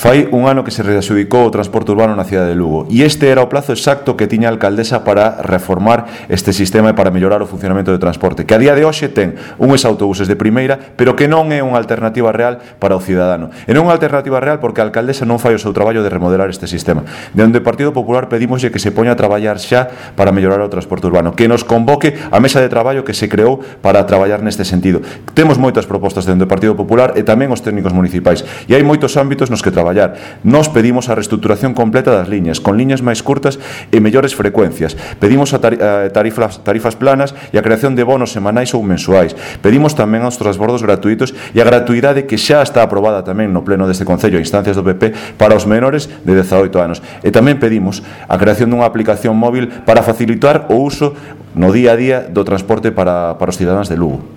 Fai un ano que se readxudicou o transporte urbano na cidade de Lugo e este era o plazo exacto que tiña a alcaldesa para reformar este sistema e para mellorar o funcionamento do transporte, que a día de hoxe ten uns autobuses de primeira, pero que non é unha alternativa real para o cidadano. E non é unha alternativa real porque a alcaldesa non fai o seu traballo de remodelar este sistema. Dende o Partido Popular pedimoslle que se poña a traballar xa para mellorar o transporte urbano, que nos convoque a mesa de traballo que se creou para traballar neste sentido. Temos moitas propostas dentro do Partido Popular e tamén os técnicos municipais, e hai moitos ámbitos nos que traballar. Nos pedimos a reestruturación completa das liñas, con liñas máis curtas e mellores frecuencias. Pedimos a tarifas planas e a creación de bonos semanais ou mensuais. Pedimos tamén aos transbordos gratuitos e a gratuidade que xa está aprobada tamén no pleno deste Concello a instancias do PP para os menores de 18 anos. E tamén pedimos a creación dunha aplicación móvil para facilitar o uso no día a día do transporte para os cidadáns de Lugo.